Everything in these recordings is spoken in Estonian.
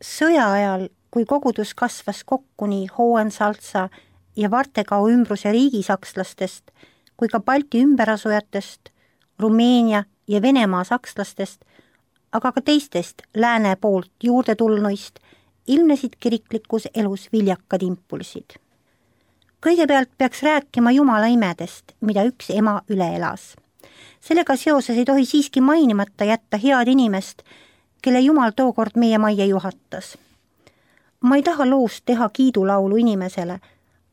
Sõja ajal, kui kogudus kasvas kokku nii Hohensalza ja Vartegau ümbruse riigisakslastest kui ka Balti ümberasujatest, Rumeenia ja Venemaa sakslastest, aga ka teistest lääne poolt juurde tulnuist, ilmnesid kiriklikus elus viljakad impulsid. Kõigepealt peaks rääkima Jumala imedest, mida üks ema üle elas. Sellega seoses ei tohi siiski mainimata jätta head inimest, kelle Jumal tookord meie majja juhatas. Ma ei taha loost teha kiidulaulu inimesele,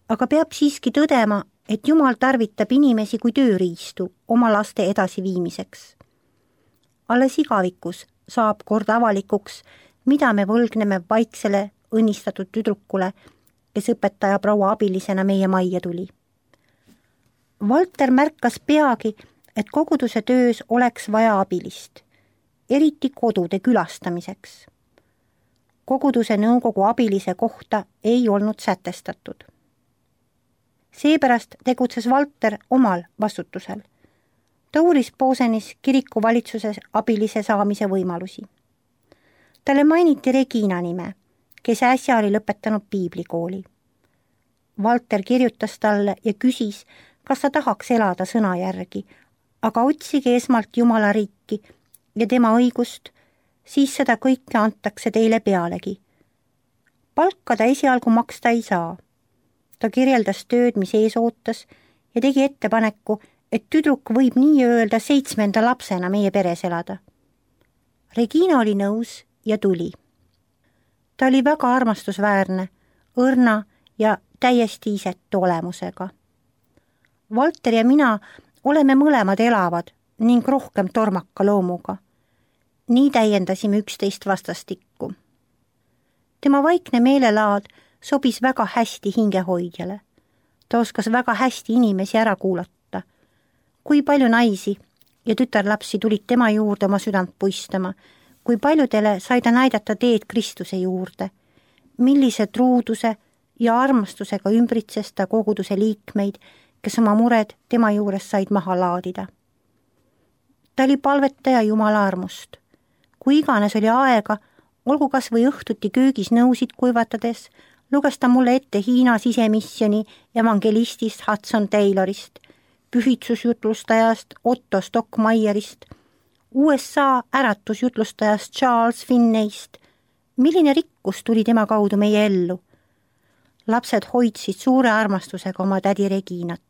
aga peab siiski tõdema, et Jumal tarvitab inimesi kui tööriistu oma laste edasiviimiseks. Alles igavikus saab kord avalikuks, mida me võlgneme vaiksele õnnistatud tüdrukule, kes õpetaja proua abilisena meie majja tuli. Valter märkas peagi, et koguduse töös oleks vaja abilist, eriti kodude külastamiseks. Koguduse nõukogu abilise kohta ei olnud sätestatud. Seepärast tegutses Valter omal vastutusel. Ta uuris Posenis kiriku valitsuses abilise saamise võimalusi. Talle mainiti Regina nime, kes äsja oli lõpetanud piiblikooli. Valter kirjutas talle ja küsis, kas ta tahaks elada sõna järgi, aga otsige esmalt Jumala riiki ja tema õigust, siis seda kõike antakse teile pealegi. Palka ta esialgu maksta ei saa. Ta kirjeldas tööd, mis ees ootas ja tegi ettepaneku, et tüdruk võib nii öelda 7. lapsena meie peres elada. Regina oli nõus ja tuli. Ta oli väga armastusväärne, õrna ja täiesti isetu olemusega. Valter ja mina oleme mõlemad elavad ning rohkem tormaka loomuga. Nii täiendasime üksteist vastastikku. Tema vaikne meelelaad sobis väga hästi hingehoidjale. Ta oskas väga hästi inimesi ära kuulata. Kui palju naisi ja tütarlapsi tulid tema juurde oma südant puistama, kui paljudele sai ta näidata teed Kristuse juurde, millise truuduse ja armastusega ümbritses ta koguduse liikmeid, kes oma mured tema juures said maha laadida. Ta oli palvetaja Jumala armust. Kui iganes oli aega, olgu kas või õhtuti köögis nõusid kuivatades, luges ta mulle ette Hiina sisemisjoni evangelistist Hudson Taylorist, pühitsusjutlustajast Otto Stockmayerist, USA äratusjutlustajast Charles Finneyst. Milline rikkus tuli tema kaudu meie ellu? Lapsed hoidsid suure armastusega oma tädi Reginat.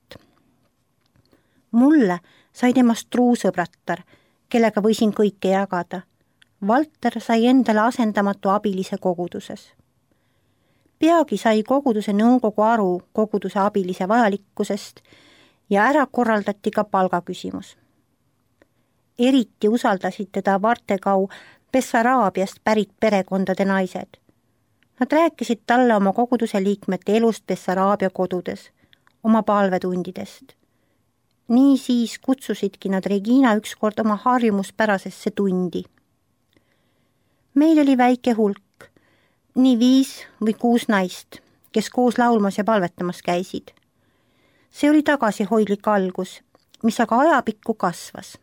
Mulle sai temast truusõbrattar, kellega võisin kõike jagada. Valter sai endale asendamatu abilise koguduses. Peagi sai koguduse nõukogu aru koguduse abilise vajalikkusest ja ära korraldati ka palgaküsimus. Eriti usaldasid teda Vartegau Bessaraabiast pärit perekondade naised. Nad rääkisid talle oma koguduse liikmete elust Bessaraabia kodudes, oma palvetundidest. Nii siis kutsusidki nad Regina ükskord oma harjumuspärasesse tundi. Meil oli väike hulk, nii 5 või 6 naist, kes koos laulmas ja palvetamas käisid. See oli tagasihoidlik algus, mis aga ajapikku kasvas.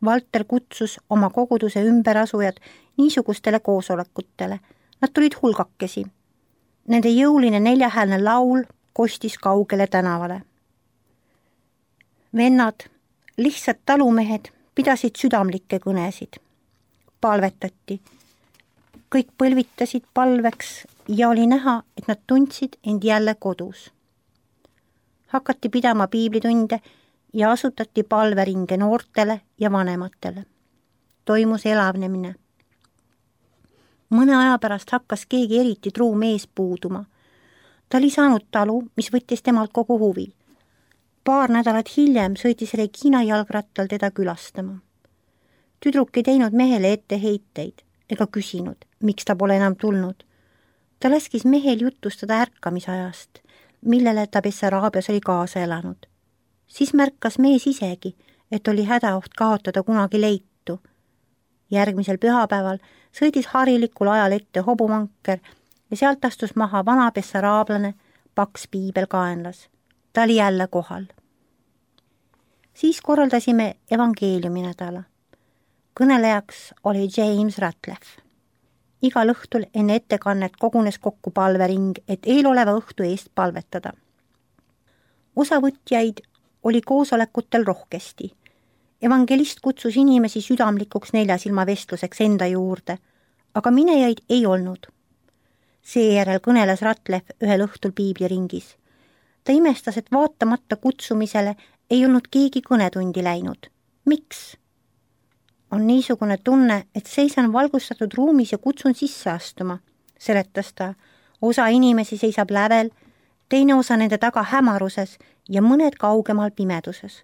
Valter kutsus oma koguduse ümberasujad niisugustele koosolekutele. Nad tulid hulgakesi. Nende jõuline 4-häälne laul kostis kaugele tänavale. Vennad, lihtsad talumehed pidasid südamlikke kõnesid. Palvetati. Kõik põlvitasid palveks ja oli näha, et nad tundsid end jälle kodus. Hakati pidama piiblitunde ja asutati palveringe noortele ja vanematele. Toimus elavnemine. Mõne aja pärast hakkas keegi eriti truu mees puuduma. Ta oli saanud talu, mis võttis temalt kogu huvi. Paar nädalat hiljem sõitis Regina jalgrattal teda külastama. Tüdruk ei teinud mehele etteheiteid ega küsinud, miks ta pole enam tulnud. Ta laskis mehel jutustada ärkamisajast, millele ta Bessaraabias oli kaasa elanud. Siis märkas mees isegi, et oli hädaoht kaotada kunagi leitu. Järgmisel pühapäeval sõidis harilikul ajal ette hobumanker ja sealt astus maha vana bessaraablane, paks piibel kaenlas. Ta oli jälle kohal. Siis korraldasime evangeeliumi nädala. Kõnelejaks oli James Ratliff. Igal õhtul enne ettekannet kogunes kokku palvering, et eeloleva õhtu eest palvetada. Osavõtjaid oli koosolekutel rohkesti. Evangelist kutsus inimesi südamlikuks neljasilmavestluseks enda juurde, aga minejaid ei olnud. Seejärel kõneles Ratlev ühel õhtul piibliringis. Ta imestas, et vaatamata kutsumisele ei olnud keegi kõnetundi läinud. Miks? On niisugune tunne, et seisan valgustatud ruumis ja kutsun sisse astuma, seletas ta. Osa inimesi seisab lävel, teine osa nende taga hämaruses ja mõned kaugemal pimeduses.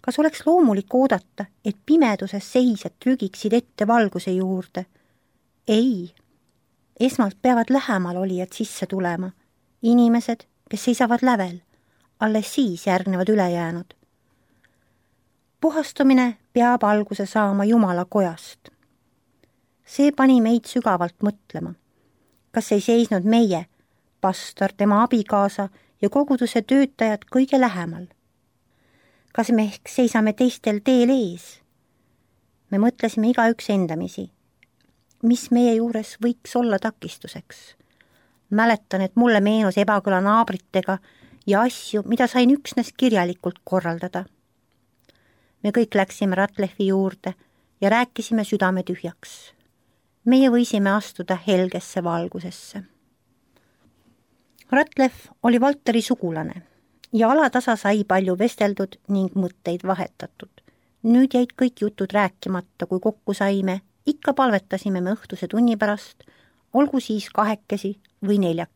Kas oleks loomulik oodata, et pimeduses seisjad trügiksid ette valguse juurde? Ei. Esmalt peavad lähemal olijad sisse tulema. Inimesed, kes seisavad lävel. Alles siis järgnevad ülejäänud. Puhastumine peab alguse saama Jumala kojast. See pani meid sügavalt mõtlema. Kas ei seisnud meie, pastor, tema abikaasa ja koguduse töötajad kõige lähemal? Kas me ehk seisame teistel teel ees? Me mõtlesime igaüks endamisi. Mis meie juures võiks olla takistuseks? Mäletan, et mulle meenus ebakõla naabritega ja asju, mida sain üksnes kirjalikult korraldada. Me kõik läksime Ratlevi juurde ja rääkisime südame tühjaks. Meie võisime astuda helgesse valgusesse. Ratlev oli Valteri sugulane ja alatasa sai palju vesteldud ning mõtteid vahetatud. Nüüd jäid kõik jutud rääkimata, kui kokku saime, ikka palvetasime me õhtuse tunni pärast, olgu siis 2 või 4.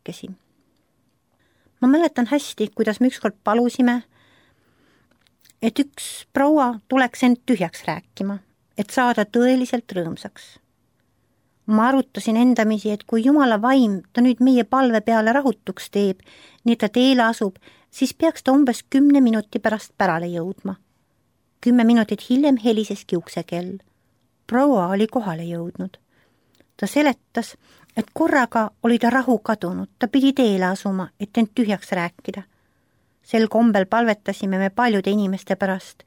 Ma mäletan hästi, kuidas me ükskord palusime, et üks proua tuleks end tühjaks rääkima, et saada tõeliselt rõõmsaks. Ma arutasin endamisi, et kui Jumala vaim ta nüüd meie palve peale rahutuks teeb, nii ta teele asub, siis peaks ta umbes 10 minuti pärast pärale jõudma. 10 minutit hiljem heliseski uksekell. Proua oli kohale jõudnud. Ta seletas, et korraga oli ta rahu kadunud, ta pidi teele asuma, et end tühjaks rääkida. Sel kombel palvetasime me paljude inimeste pärast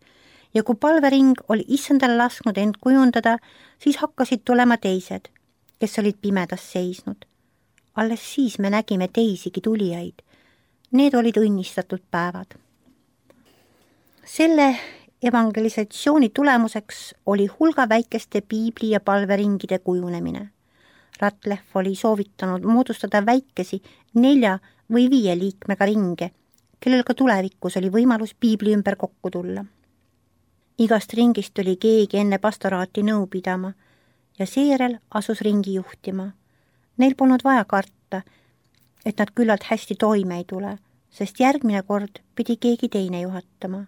ja kui palvering oli issandale lasknud end kujundada, siis hakkasid tulema teised, kes olid pimedas seisnud. Alles siis me nägime teisigi tulijaid. Need olid õnnistatud päevad. Selle evangelisatsiooni tulemuseks oli hulga väikeste piibli- ja palveringide kujunemine. Ratlev oli soovitanud moodustada väikesi 4 või 5 liikmega ringe, kellel ka tulevikus oli võimalus piibli ümber kokku tulla. Igast ringist tuli keegi enne pastoraati nõu pidama ja seejärel asus ringi juhtima. Neil polnud vaja karta, et nad küllalt hästi toime ei tule, sest järgmine kord pidi keegi teine juhatama.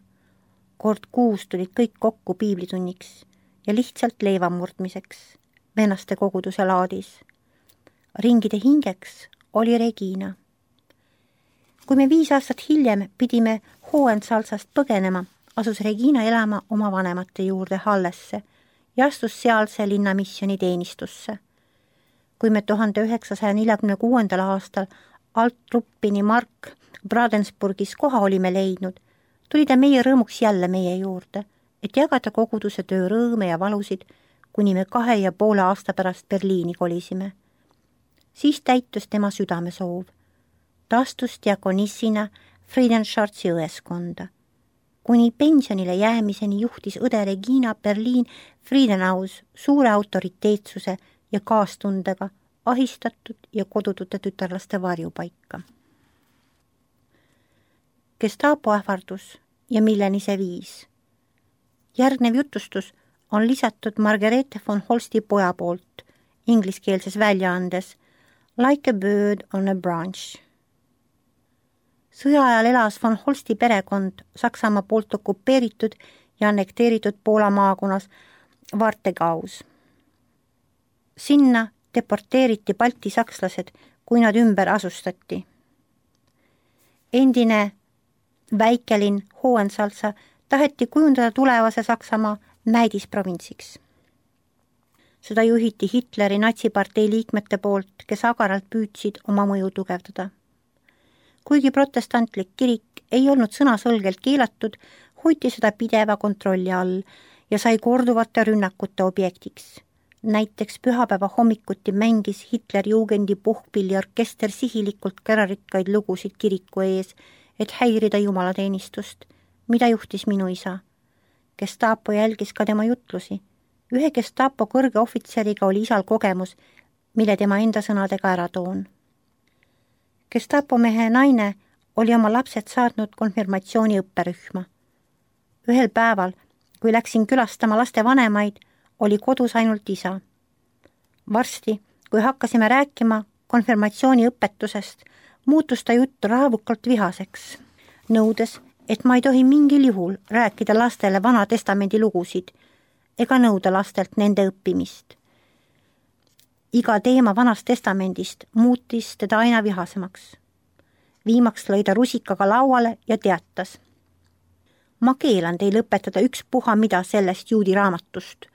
Kord kuus tulid kõik kokku piiblitunniks ja lihtsalt leiva murdmiseks vennaste koguduse laadis. Ringide hingeks oli Regina. Kui me 5 aastat hiljem pidime Hohensalzast põgenema, asus Regina elama oma vanemate juurde Hallesse ja astus sealse linnamisjoni teenistusse. Kui me 1946. aastal Altruppini Mark Bradensburgis koha olime leidnud, tuli ta meie rõõmuks jälle meie juurde, et jagada koguduse töö rõõme ja valusid, kuni me 2,5 aasta pärast Berliini kolisime. Siis täitus tema südamesoov. Ta astus diakonissina Friedenschartsi õeskonda. Kuni pensionile jäämiseni juhtis õde Regina Berliin Friedenaus suure autoriteetsuse ja kaastundega ahistatud ja kodutute tütarlaste varjupaika. Gestapo ähvardus ja milleni see viis. Järgnev jutustus on lisatud Margarete von Holsti poja poolt ingliskeelses väljaandes Like a bird on a branch. Sõja ajal elas von Holsti perekond Saksamaa poolt okupeeritud ja annekteeritud Poola maakonnas Vartegaus. Sinna deporteeriti balti sakslased, kui nad ümber asustati. Endine väikelinn Hohensalza taheti kujundada tulevase Saksamaa näidisprovintsiks. Seda juhiti Hitleri natsipartei liikmete poolt, kes agaralt püüdsid oma mõju tugevdada. Kuigi protestantlik kirik ei olnud sõnaselgelt keelatud, hoiti seda pideva kontrolli all ja sai korduvate rünnakute objektiks. Näiteks pühapäeva hommikuti mängis Hitlerjugendi puhkpilliorkester sihilikult kärarikkaid lugusid kiriku ees, et häirida jumalateenistust, mida juhtis minu isa. Gestapo jälgis ka tema jutlusi. Ühe Gestapo kõrge ohvitseriga oli isal kogemus, mille tema enda sõnadega ära toon. Gestapo mehe naine oli oma lapsed saatnud konfirmatsiooni õpperühma. Ühel päeval, kui läksin külastama laste vanemaid, oli kodus ainult isa. Varsti, kui hakkasime rääkima konfirmatsiooni õpetusest, muutus ta jutt raevukalt vihaseks, nõudes, et ma ei tohi mingil juhul rääkida lastele Vana Testamendi lugusid ega nõuda lastelt nende õppimist. Iga teema Vanast Testamendist muutis teda aina vihasemaks. Viimaks lõi ta rusikaga lauale ja teatas: ma keelan teil õpetada ükspuha mida sellest juudi raamatust.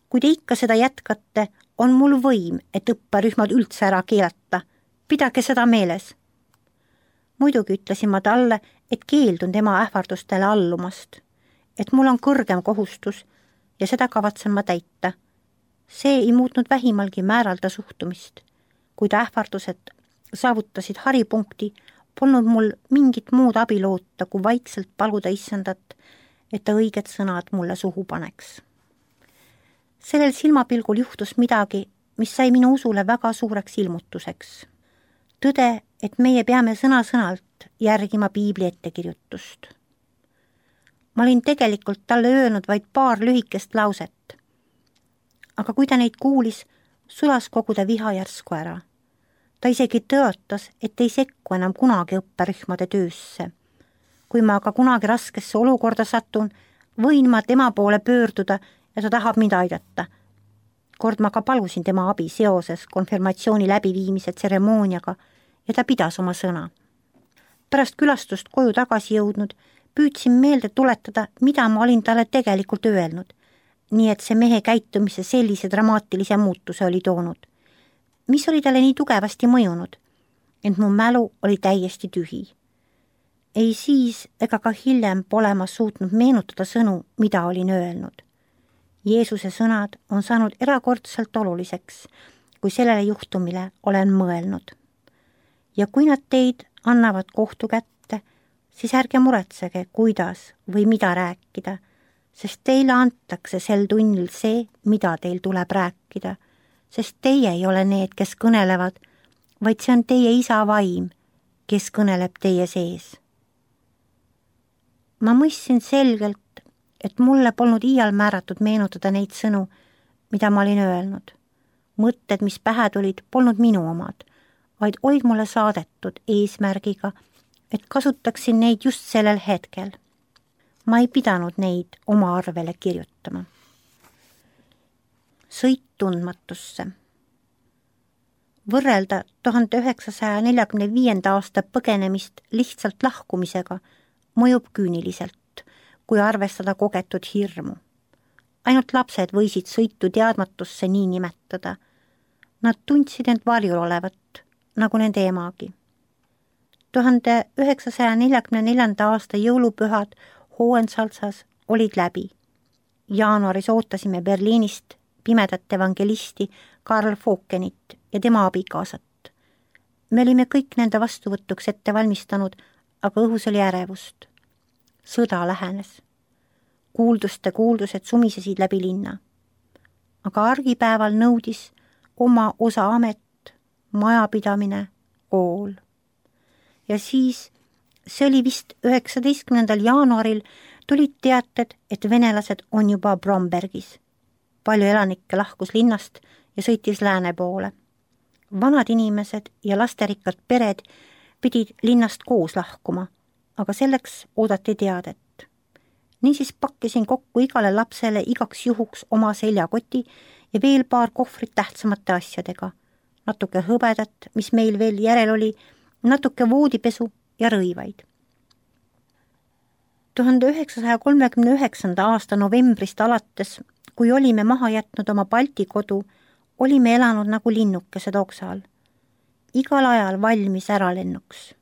Kui te ikka seda jätkate, on mul võim, et õpperühmad üldse ära keelata. Pidage seda meeles. Muidugi ütlesin ma talle, et keeldun tema ähvardustele allumast, et mul on kõrgem kohustus ja seda kavatsen ma täita. See ei muutnud vähimalgi määralda suhtumist. Kui ta ähvardused saavutasid haripunkti, polnud mul mingit muud abi loota, kui vaikselt paluda issandat, et ta õiged sõnad mulle suhu paneks. Sellel silmapilgul juhtus midagi, mis sai minu usule väga suureks ilmutuseks. Tõde, et meie peame sõna-sõnalt järgima piibli ettekirjutust. Ma olin tegelikult talle öelnud vaid paar lühikest lauset. Aga kui ta neid kuulis, sulas kogu ta viha järsku ära. Ta isegi tõotas, et ei sekku enam kunagi õpperühmade töösse. Kui ma aga kunagi raskesse olukorda satun, võin ma tema poole pöörduda ja ta tahab mind aidata. Kord ma ka palusin tema abi seoses konfirmatsiooni läbiviimise tseremooniaga ja ta pidas oma sõna. Pärast külastust koju tagasi jõudnud, püüdsin meelde tuletada, mida ma olin talle tegelikult öelnud, nii et see mehe käitumise sellise dramaatilise muutuse oli toonud. Mis oli talle nii tugevasti mõjunud, ent mu mälu oli täiesti tühi. Ei siis ega ka hiljem pole ma suutnud meenutada sõnu, mida olin öelnud. Jeesuse sõnad on saanud erakordselt oluliseks, kui sellele juhtumile olen mõelnud. Ja kui nad teid annavad kohtu kätte, siis ärge muretsege, kuidas või mida rääkida, sest teile antakse sel tunnil see, mida teil tuleb rääkida, sest teie ei ole need, kes kõnelevad, vaid see on teie isa vaim, kes kõneleb teie sees. Ma mõistsin selgelt, et mulle polnud iial määratud meenutada neid sõnu, mida ma olin öelnud. Mõtted, mis pähe tulid, polnud minu omad, vaid olid mulle saadetud eesmärgiga, et kasutaksin neid just sellel hetkel. Ma ei pidanud neid oma arvele kirjutama. Sõit tundmatusse. Võrrelda 1945. aasta põgenemist lihtsalt lahkumisega mõjub küüniliselt, kui arvestada kogetud hirmu. Ainult lapsed võisid sõitu teadmatusse nii nimetada. Nad tundsid end varjul olevat, nagu nende emagi. 1944. aasta jõulupühad Hohensalzas olid läbi. Jaanuaris ootasime Berliinist pimedat evangelisti Karl Fokenit ja tema abikaasat. Me olime kõik nende vastuvõtuks ette valmistanud, aga õhus oli ärevust. Sõda lähenes. Kuuldused sumisesid läbi linna. Aga argipäeval nõudis oma osa amet, majapidamine, kool. Ja siis, see oli vist 19. jaanuaril, tulid teated, et venelased on juba Brombergis. Palju elanikke lahkus linnast ja sõitis lääne poole. Vanad inimesed ja lasterikkad pered pidid linnast koos lahkuma, aga selleks oodati teadet. Niisiis pakkisin kokku igale lapsele igaks juhuks oma seljakoti ja veel paar kohvrit tähtsamate asjadega. Natuke hõbedat, mis meil veel järel oli, natuke voodipesu ja rõivaid. 1939. aasta novembrist alates, kui olime maha jätnud oma Balti kodu, olime elanud nagu linnukesed oksal. Igal ajal valmis äralennuks.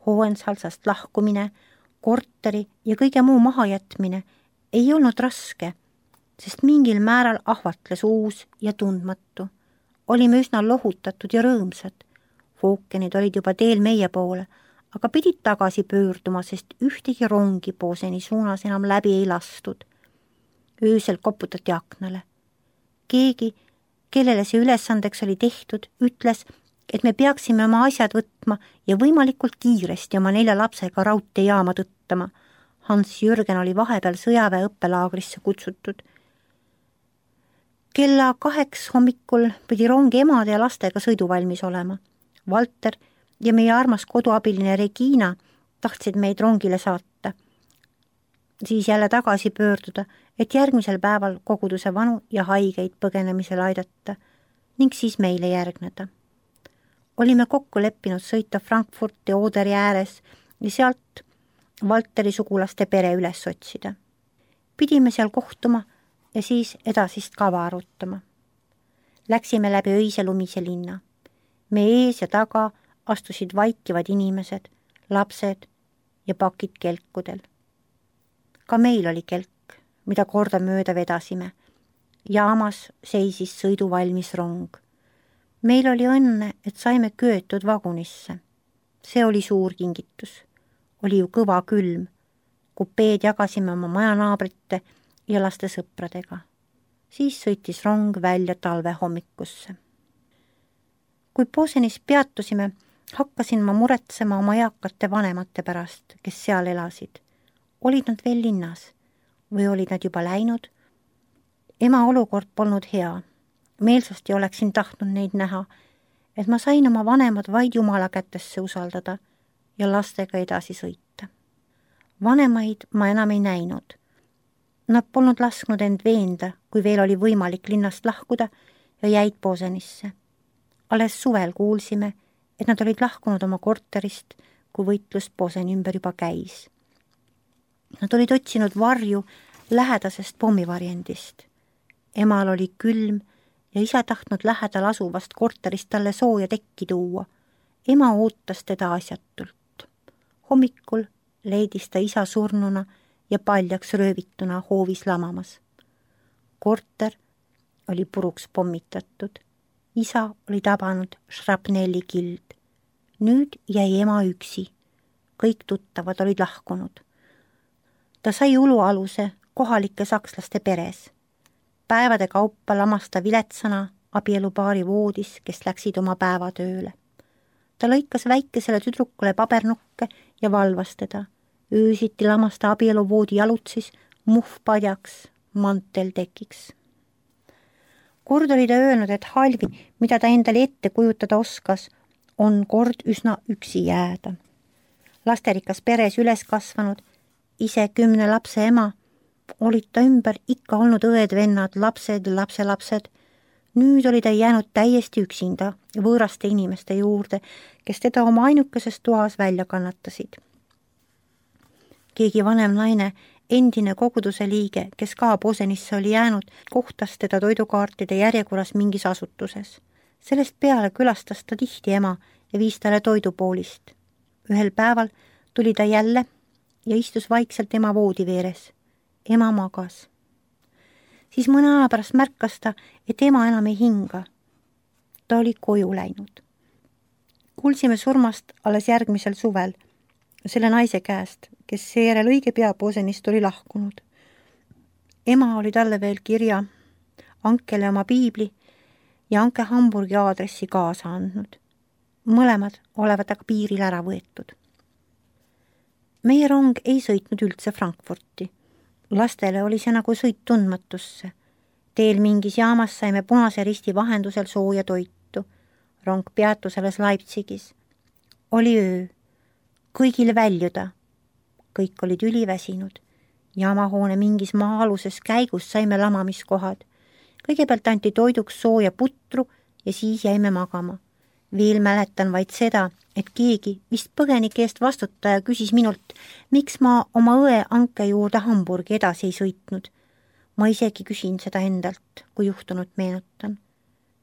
Hohensalzast lahkumine, korteri ja kõige muu mahajätmine ei olnud raske, sest mingil määral ahvatles uus ja tundmatu. Olime üsna lohutatud ja rõõmsad. Fookenid olid juba teel meie poole, aga pidid tagasi pöörduma, sest ühtegi rongi Boseni suunas enam läbi ei lastud. Öösel koputati aknale. Keegi, kellele see ülesandeks oli tehtud, ütles, et me peaksime oma asjad võtma ja võimalikult kiiresti oma 4 lapsega raudteejaama tõttama. Hans-Jürgen oli vahepeal sõjaväe õppelaagrisse kutsutud. Kella 2 hommikul pidi rong emade ja lastega sõiduvalmis olema. Valter ja meie armas koduabiline Regina tahtsid meid rongile saata. Siis jälle tagasi pöörduda, et järgmisel päeval koguduse vanu ja haigeid põgenemisel aidata ning siis meile järgneda. Olime kokku leppinud sõita Frankfurti Oderi ääres ja sealt Valteri sugulaste pere üles otsida. Pidime seal kohtuma ja siis edasist kava arutama. Läksime läbi öise lumise linna. Me ees ja taga astusid vaikivad inimesed, lapsed ja pakid kelkudel. Ka meil oli kelk, mida kordamööda vedasime. Jaamas seisis sõiduvalmis rong. Meil oli õnne, et saime köetud vagunisse. See oli suur kingitus. Oli ju kõva külm. Kupeed jagasime oma majanaabrite ja laste sõpradega. Siis sõitis rong välja talve hommikusse. Kui Bosenis peatusime, hakkasin ma muretsema oma eakate vanemate pärast, kes seal elasid. Olid nad veel linnas või olid nad juba läinud? Ema olukord polnud hea. Meelsasti oleksin tahtnud neid näha, et ma sain oma vanemad vaid Jumala kätesse usaldada ja lastega edasi sõita. Vanemaid ma enam ei näinud. Nad polnud lasknud end veenda, kui veel oli võimalik linnast lahkuda ja jäid Bosenisse. Alles suvel kuulsime, et nad olid lahkunud oma korterist, kui võitlus Boseni ümber juba käis. Nad olid otsinud varju lähedasest pommivarjendist. Emal oli külm ja isa tahtnud lähedal asuvast korterist talle sooja tekki tuua. Ema ootas teda asjatult. Hommikul leidis ta isa surnuna ja paljaks röövituna hoovis lamamas. Korter oli puruks pommitatud. Isa oli tabanud šrapnellikild. Nüüd jäi ema üksi. Kõik tuttavad olid lahkunud. Ta sai ulualuse kohalike sakslaste peres. Päevade kaupa lamas ta viletsana abielupaari voodis, kes läksid oma päevatööle. Ta lõikas väikesele tüdrukule pabernukke ja valvas teda. Öösiti lamas ta abieluvoodi jalutsis, muhv padjaks, mantel tekiks. Kord oli ta öelnud, et halvi, mida ta endale ette kujutada oskas, on kord üsna üksi jääda. Lasterikas peres üles kasvanud, ise 10 lapse ema, olid ta ümber ikka olnud õed-vennad, lapsed ja lapselapsed. Nüüd oli ta jäänud täiesti üksinda võõraste inimeste juurde, kes teda oma ainukeses toas välja kannatasid. Keegi vanem naine, endine koguduse liige, kes ka Bosenisse oli jäänud, kohtas teda toidukaartide järjekorras mingis asutuses. Sellest peale külastas ta tihti ema ja viis talle toidupoolist. Ühel päeval tuli ta jälle ja istus vaikselt ema voodi veeres. Ema magas. Siis mõne aja pärast märkas ta, et ema enam ei hinga. Ta oli koju läinud. Kuulsime surmast alles järgmisel suvel selle naise käest, kes seejärel õige pea Bosenist oli lahkunud. Ema oli talle veel kirja, Ankele oma piibli ja Anke Hamburgi aadressi kaasa andnud. Mõlemad olevat aga piiril ära võetud. Meie rong ei sõitnud üldse Frankfurti. Lastele oli see nagu sõit tundmatusse. Teel mingis jaamas saime Punase Risti vahendusel sooja toitu. Rong peatus alles Leipzigis. Oli öö. Kõigil väljuda. Kõik olid üliväsinud. Jaamahoone mingis maa-aluses käigus saime lamamiskohad. Kõigepealt anti toiduks sooja putru ja siis jäime magama. Veel mäletan vaid seda, et keegi vist põgenike eest vastutaja küsis minult, miks ma oma õe Anke juurde Hamburgi edasi ei sõitnud. Ma isegi küsin seda endalt, kui juhtunut meenutan.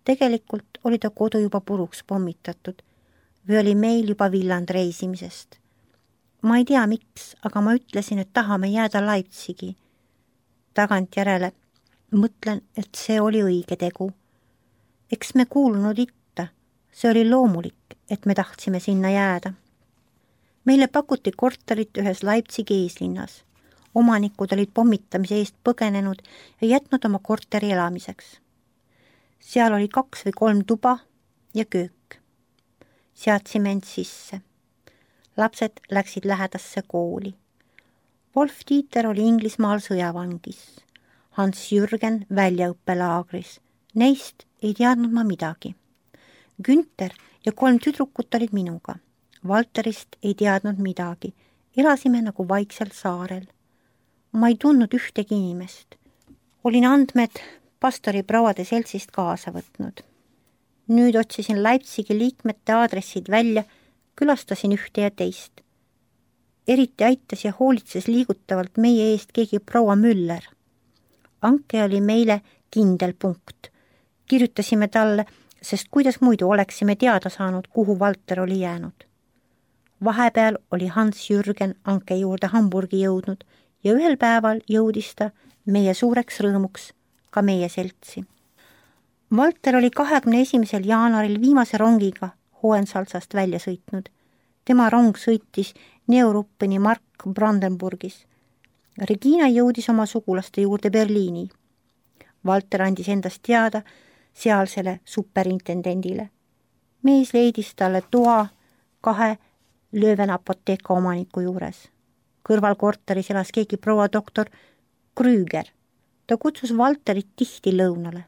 Tegelikult oli ta kodu juba puruks pommitatud või oli meil juba villand reisimisest. Ma ei tea miks, aga ma ütlesin, et tahame jääda Leipzigi. Tagantjärele Mõtlen, et see oli õige tegu. Eks me kuulunud itta, see oli loomulik, et me tahtsime sinna jääda. Meile pakuti korterit ühes Leipzigi eeslinnas. Omanikud olid pommitamise eest põgenenud ja jätnud oma korteri elamiseks. Seal oli 2 või 3 tuba ja köök. Seadsime end sisse. Lapsed läksid lähedasse kooli. Wolf-Dieter oli Inglismaal sõjavangis. Hans-Jürgen väljaõppelaagris. Neist ei teadnud ma midagi. Günther ja 3 tüdrukut olid minuga. Valterist ei teadnud midagi. Elasime nagu vaiksel saarel. Ma ei tundnud ühtegi inimest. Olin andmed pastori prouade seltsist kaasa võtnud. Nüüd otsisin Leipzigi liikmete aadressid välja, külastasin ühte ja teist. Eriti aitas ja hoolitses liigutavalt meie eest keegi proua Müller. Anke oli meile kindel punkt. Kirjutasime talle, sest kuidas muidu oleksime teada saanud, kuhu Valter oli jäänud. Vahepeal oli Hans-Jürgen Anke juurde Hamburgi jõudnud ja ühel päeval jõudis ta meie suureks rõõmuks ka meie seltsi. Valter oli 21. jaanuaril viimase rongiga Hohensalzast välja sõitnud. Tema rong sõitis Neuruppeni Mark Brandenburgis. Regina jõudis oma sugulaste juurde Berliini. Valter andis endast teada sealsele superintendendile. Mees leidis talle toa 2 Lööven apoteeka omaniku juures. Kõrval korteris elas keegi proua doktor Krüger. Ta kutsus Valterit tihti lõunale.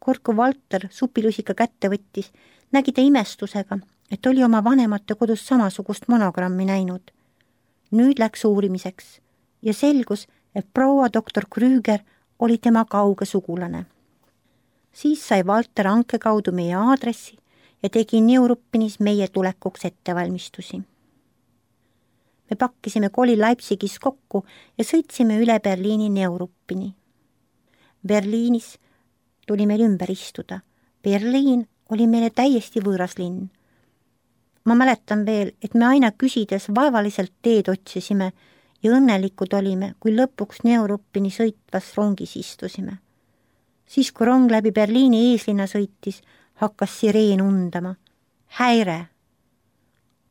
Kord kui Valter supilusika kätte võttis, nägi ta imestusega, et oli oma vanemate kodus samasugust monogrammi näinud. Nüüd läks uurimiseks ja selgus, et proua doktor Krüger oli tema kauge sugulane. Siis sai Valter Anke kaudu meie aadressi ja tegi Neuruppenis meie tulekuks ettevalmistusi. Me pakkisime koli Leipzigis kokku ja sõitsime üle Berliini Neuruppeni. Berliinis tuli meil ümber istuda. Berliin oli meile täiesti võõras linn. Ma mäletan veel, et me aina küsides vaevaliselt teed otsisime ja õnnelikud olime, kui lõpuks Neuruppeni sõitvas rongis istusime. Siis, kui rong läbi Berliini eeslinna sõitis, hakkas sireen undama. Häire!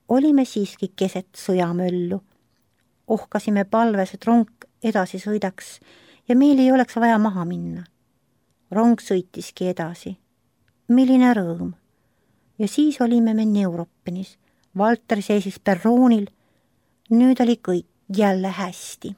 Olime siiski keset sõjamöllu. Ohkasime palves, et rong edasi sõidaks ja meil ei oleks vaja maha minna. Rong sõitiski edasi. Milline rõõm! Ja siis olime me Neuruppenis. Valter seisis perroonil. Nüüd oli kõik jälle hästi.